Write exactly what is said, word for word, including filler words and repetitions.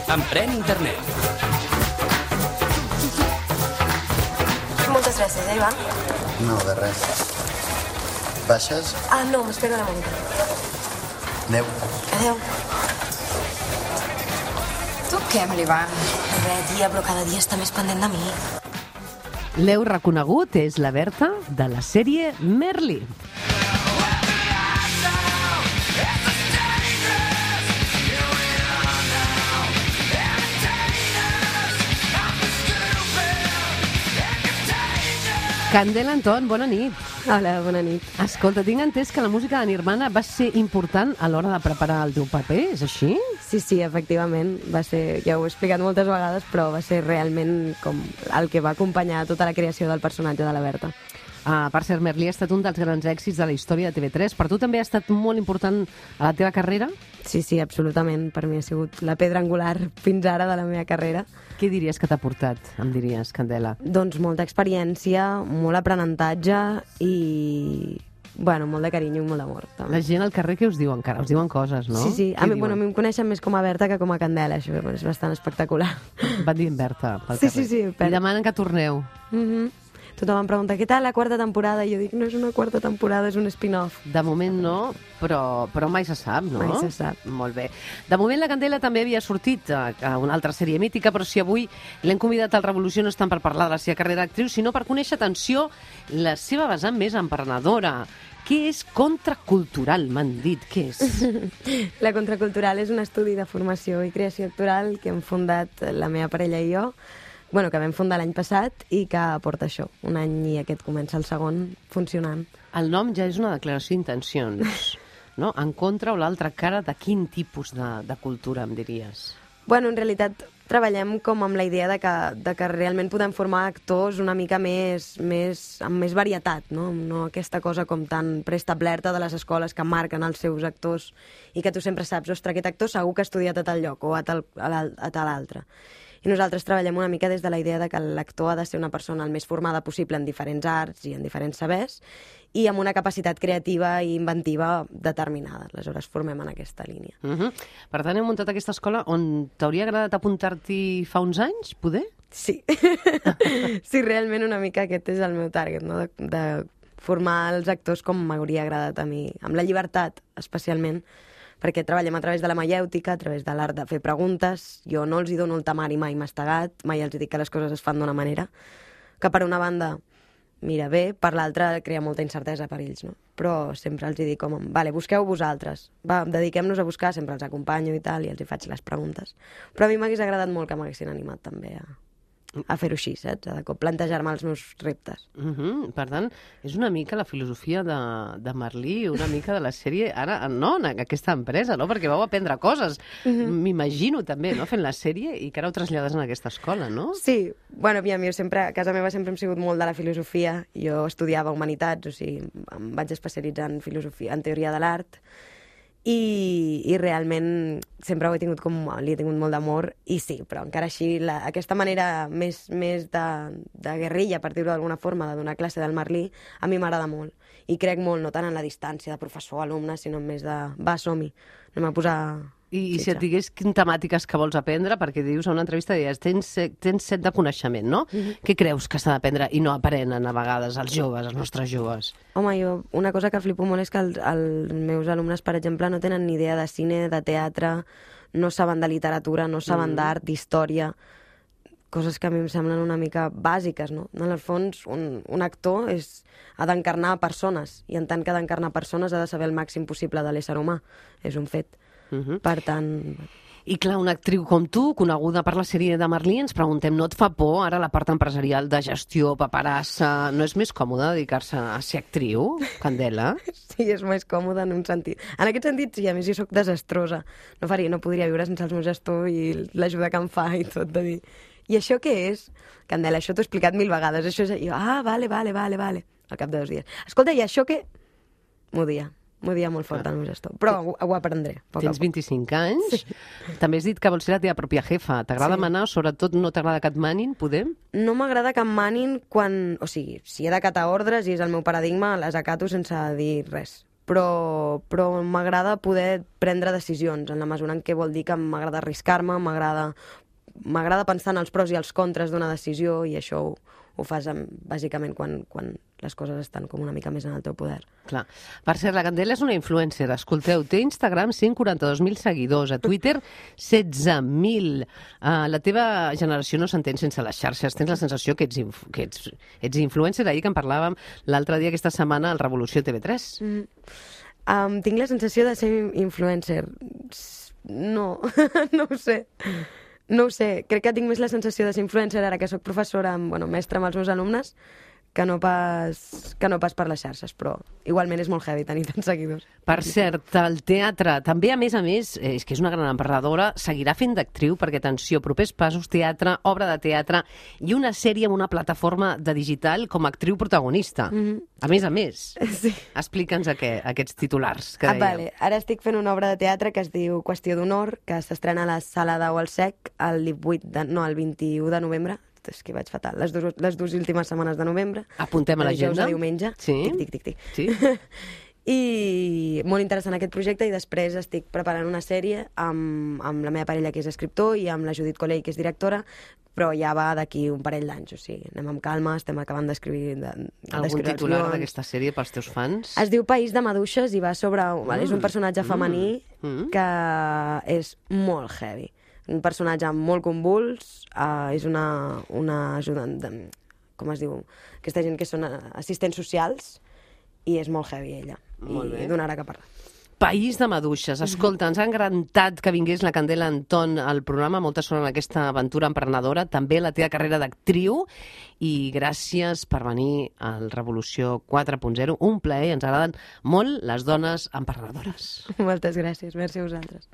Emprèn internet. Moltes gràcies, eh, Ivan? No, de res. Baixes? Ah, no, m'espero una mica. Adéu. Adéu. Tu què amb l'Ivan? Res, tia, però cada dia està més pendent de mi. L'heu reconegut, és la Berta de la sèrie Merli. Candela Anton, bona nit. Hola, bona nit. Escolta, tinc entès que la música de Nirvana va ser important a l'hora de preparar el teu paper, és així? Sí, sí, efectivament. Va ser, ja ho he explicat moltes vegades, però va ser realment com el que va acompanyar tota la creació del personatge de la Berta. Ah, per cert, Merli ha estat un dels grans èxits de la història de T V tres. Per tu també ha estat molt important a la teva carrera? Sí, sí, absolutament. Per mi ha sigut la pedra angular fins ara de la meva carrera. Què diries que t'ha portat, em diries, Candela? Doncs molta experiència, molt aprenentatge i, bueno, molt de carinyo i molt d'amor. També. La gent al carrer què us diu encara? Us diuen coses, no? Sí, sí. A Què mi, bueno, a mi em coneixen més com a Berta que com a Candela, això és bastant espectacular. Van dient Berta pel Sí, carrer. sí, sí, I Berta. demanen que torneu. Mhm. Tothom em pregunta, què tal la quarta temporada? I jo dic, no és una quarta temporada, és un spin-off. De moment no, però, però mai se sap, no? Mai se sap. Molt bé. De moment la Candela també havia sortit a, a una altra sèrie mítica, però si avui l'hem convidat al Revolució no és tant per parlar de la seva carrera d'actriu, sinó per conèixer, atenció, la seva vessant més emprenedora. Què és contracultural, m'han dit? Què és? La Contracultural és un estudi de formació i creació actoral que hem fundat la meva parella i jo, bueno, que vam fundar l'any passat i que porta això, un any i aquest comença el segon funcionant. El nom ja és una declaració d'intencions, no? En contra o l'altra cara de quin tipus de, de cultura, em diries? Bueno, en realitat treballem com amb la idea de que, de que realment podem formar actors una mica més, més, amb més varietat, no? No aquesta cosa com tan preestablerta de les escoles que marquen els seus actors i que tu sempre saps, ostres, aquest actor segur que ha estudiat a tal lloc o a tal, a l'al- a tal altre. I nosaltres treballem una mica des de la idea de que l'actor ha de ser una persona el més formada possible en diferents arts i en diferents sabers i amb una capacitat creativa i inventiva determinada. Aleshores formem en aquesta línia. Uh -huh. Per tant, heu muntat aquesta escola on t'hauria agradat apuntar-t'hi fa uns anys, poder? Sí. Sí, realment una mica aquest és el meu target, no? De, de formar els actors com m'hauria agradat a mi, amb la llibertat, especialment, perquè treballem a través de la maièutica, a través de l'art de fer preguntes. Jo no els hi dono el temari mai mastegat, mai els dic que les coses es fan d'una manera, que per una banda mira bé, per l'altra crea molta incertesa per ells, no? Però sempre els hi dic com, vale, busqueu vosaltres, va, dediquem-nos a buscar, sempre els acompanyo i tal, i els hi faig les preguntes. Però a mi m'hagués agradat molt que m'haguessin animat també a, a fer-ho així, saps? A de cop plantejar-me els meus reptes. Uh -huh. Per tant, és una mica la filosofia de, de Merli, una mica de la sèrie, ara, no, en aquesta empresa, no? Perquè vau aprendre coses, uh -huh. m'imagino també, no?, fent la sèrie, i que ara ho trasllades en aquesta escola, no? Sí, bueno, aviam, jo sempre, a casa meva sempre hem sigut molt de la filosofia. Jo estudiava humanitats, o sigui, em vaig especialitzar en filosofia, en teoria de l'art, i, i realment sempre ho he tingut com, li he tingut molt d'amor, i sí, però encara així la, aquesta manera més, més de, de guerrilla, per dir-ho d'alguna forma, de donar classe del Merli, a mi m'agrada molt, i crec molt, no tant en la distància de professor-alumne, sinó més de, va, som-hi, anem a posar... I, i si fitxa. et digués quines temàtiques que vols aprendre, perquè dius a una entrevista, deies, tens, set- tens set de coneixement, no? Uh -huh. Què creus que s'ha d'aprendre i no aprenen a vegades els joves, els nostres joves? Home, jo, una cosa que flipo molt és que els, els meus alumnes, per exemple, no tenen ni idea de cine, de teatre, no saben de literatura, no saben Mm. d'art, d'història, coses que a mi em semblen una mica bàsiques, no? En el fons, un, un actor és, ha d'encarnar persones, i en tant que ha d'encarnar persones ha de saber el màxim possible de l'ésser humà. És un fet. Uh -huh. Per tant... I clar, una actriu com tu, coneguda per la sèrie de Merli, ens preguntem, no et fa por ara la part empresarial de gestió, paperassa? No és més còmode dedicar-se a ser actriu, Candela? Sí, és més còmode en un sentit. En aquest sentit, sí, a més jo sóc desastrosa. No faria, no podria viure sense el meu gestor i l'ajuda que em fa i tot, de dir... I això què és? Candela, això t'ho he explicat mil vegades. Això és... I jo, ah, vale, vale, vale, vale. Al cap de dos dies. Escolta, i això què? M'ho dia. M'ho dia molt fort el meu gestor. Però ho, ho aprendré. Poc a Tens poc. vint-i-cinc anys. Sí. També has dit que vols ser la teva pròpia jefa. T'agrada Sí. manar, sobretot no t'agrada que et manin, podem? No m'agrada que em manin quan... O sigui, si he d'acatar ordres i és el meu paradigma, les acato sense dir res. però, però m'agrada poder prendre decisions, en la mesura en què vol dir que m'agrada arriscar-me, m'agrada m'agrada pensar en els pros i els contres d'una decisió, i això ho, ho fas amb, bàsicament quan, quan les coses estan com una mica més en el teu poder. Clar. Per cert, la Candela és una influencer. Escolteu, té Instagram cent i quaranta-dos mil seguidors, a Twitter setze mil. Uh, la teva generació no s'entén sense les xarxes. Tens la sensació que ets, inf que ets, ets influencer, ahir que en parlàvem l'altre dia, aquesta setmana, al Revolució T V tres. Mm. Um, tinc la sensació de ser influencer. No, no ho sé. No ho sé, crec que tinc més la sensació de ser influencer ara que sóc professora, bueno, mestra amb els meus alumnes, que no pas, que no pas per les xarxes, però igualment és molt heavy tenir tants seguidors. Per cert, el teatre, també a més a més, és que és una gran emprenedora, seguirà fent d'actriu, perquè, atenció, propers passos, teatre, obra de teatre i una sèrie amb una plataforma de digital com a actriu protagonista. Mm-hmm. A més a més. Sí. Explica'ns aqu aquests titulars que ah, dèiem. Vale. Ara estic fent una obra de teatre que es diu Qüestió d'honor, que s'estrena a la Sala d'Au al Sec el divuit de, no, el vint-i-u de novembre. És que vaig fatal. Les, dos, les dues últimes setmanes de novembre. Apuntem a l'agenda. De diumenge. Sí. Tic, tic, tic, tic. Sí. I molt interessant aquest projecte, i després estic preparant una sèrie amb, amb la meva parella, que és escriptor, i amb la Judit Colell, que és directora, però ja va d'aquí un parell d'anys, o sigui, anem amb calma, estem acabant d'escriure de, algun titular d'aquesta sèrie pels teus fans? Es diu País de Maduixes i va sobre... Mm. És un personatge femení mm. que és molt heavy. Un personatge molt convuls, uh, és una, una ajudant, de, com es diu, aquesta gent que són assistents socials, i és molt heavy ella, molt i donarà que parlar. País de Maduixes. Escolta, ens ha encantat que vingués la Candela Anton al programa. Molta sort en aquesta aventura emprenedora, també la teva carrera d'actriu, i gràcies per venir al Revolució quatre punt zero. Un plaer, ens agraden molt les dones emprenedores. Moltes gràcies, merci a vosaltres.